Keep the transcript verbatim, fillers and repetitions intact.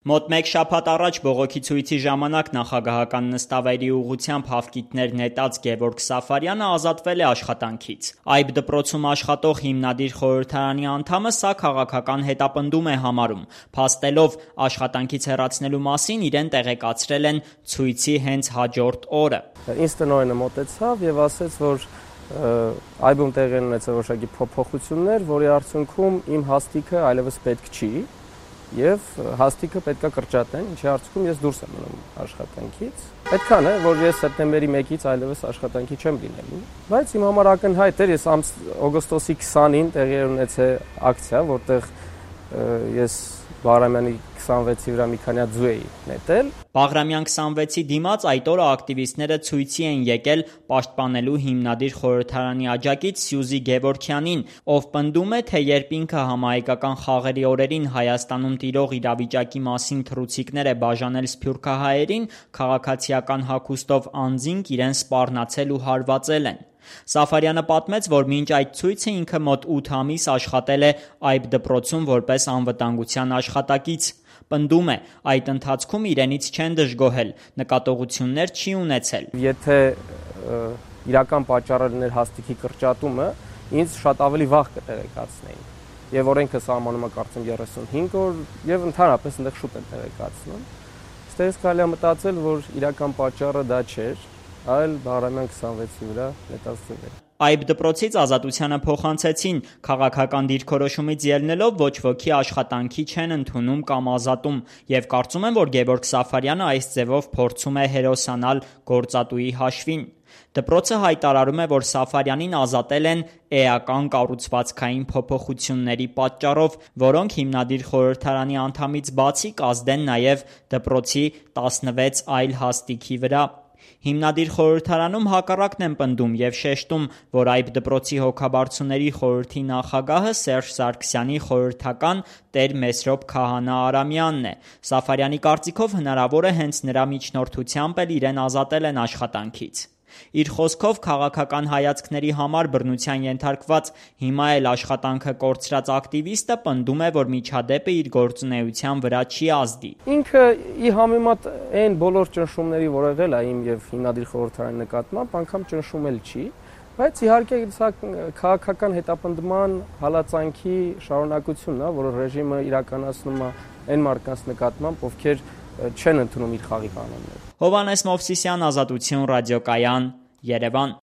Մոտ մեկ շաբաթ առաջ բողոքի ցույցի ժամանակ նախագահական նստավայրի ուղղությամբ հավկիթներ նետած Գևորգ Սաֆարյանը ազատվել է աշխատանքից։ Այբ դպրոցում աշխատող հիմնադիր խորհրդարանի անդամը սա քաղաքական հետապնդում է համարում, փաստելով աշխատանքից հեռացնելու մասին իրեն տեղեկացրել են ցույցի հենց հաջորդ օրը։ Ինձ տնօրենը մոտեցավ եւ ասեց, որ այբում տեղի ունեցել որոշակի փոփոխություններ, որի արդյունքում իմ հաստիքը այլևս պետք չի։ Եվ հաստիքը պետք է կրճատեն, ինչի արդյունքում ես դուրս եմ մնում աշխատանքից։ Պետքան է, որ ես սեպտեմբերի մեկից այլևս աշխատանքի չեմ լինելու, բայց իմ համար ակնհայտ էր, ես օգոստոսի քսանին տեղի ունեցել ակցիա, որտեղ ես Բաղրամյանի քսանվեցի վրա մի քանի հատ ձու էի նետել։ Բաղրամյան քսանվեցի դիմաց այդ օրը ակտիվիստները ցույցի են եկել պաշտպանելու հիմնադիր խորհրդարանի աջակից Սյուզի Գևորգյանին, ով պնդում է, թե երբ ինքը համահայկական խաղերի օրերին Հայաստանում տիրող իրավիճակի մասին թռուցիկներ է բաժանել սփյուռքահայերին, քաղաքացիական հագուստով անձինք իրեն սպառնացել ու հարվածել են։ Սաֆարյանը պատմեց, որ մինչ այդ ցույցը ինքը մոտ ութ ամիս աշխատել է այբ դպրոցում որպես անվտանգության աշխատակից։ Պնդում է, այդ ընթացքում իրենից չեն դժգոհել, նկատողություններ չի ունեցել։ Եթե իրական պատճառը լիներ հաստիքի կրճատումը, ինձ շատ ավելի վաղ կտեղեկացնեին։ Եվ օրենքը սահմանում է կարծեմ երեսունհինգ օր, եւ ընդհանրապես այնտեղ շուտ են տեղեկացնում։ Ստերս կարելի է մտածել, որ իրական պատճառը դա չէր, այլ Բաղրամյան քսանվեցի վրա նետած ձուները։ Այբ դպրոցից Ազատությանը փոխանցեցին, քաղաքական դիրքորոշումից ելնելով ոչ ոքի աշխատանքի չեն ընդունում կամ ազատում, եւ կարծում են, որ Գևորգ Սաֆարյանը այս ձևով փորձում է հերոսանալ գործատուի հաշվին։ Դպրոցը հայտարարում է, որ Սաֆարյանին ազատել են էական կառուցվածքային փոփոխությունների պատճառով, որոնք հիմնադիր խորհրդարանի անդամից բացի կազդեն նաեւ դպրոցի տասնվեց այլ հաստիքի վրա։ Հիմնադիր խորհրդարանում հակառակն են պնդում եւ շեշտում, որ այբ դպրոցի հոգաբարձուների խորհրդի նախագահը Սերժ Սարգսյանի խորհրդական Տեր Մեսրոպ Քահանա Արամյանն է։ Սաֆարյանի կարծիքով հնարավոր է հենց նրա միջնորդությամբ էլ իրեն ազատել են աշխատանքից։ Իր խոսքով քաղաքական հայացքների համար բռնության ենթարկված հիմա էլ աշխատանքը կորցրած ակտիվիստը պնդում է, որ միջադեպը իր գործունեության վրա չի ազդի։ Ինքը ի համեմատ այն բոլոր ճնշումների, որ եղել է իմ եւ հիմնադիր խորհրդարանի նկատմամբ, անգամ ճնշում էլ չի, բայց իհարկե սա քաղաքական հետապնդման հալածանքի շարունակությունն է, որ ռեժիմը իրականացնում է այն մարդկանց նկատմամբ, ովքեր չեն ընդունում իր խաղի կանոնները։ Հովհաննես Մովսիսյան, Ազատություն, Ռադիոկայան, Երևան։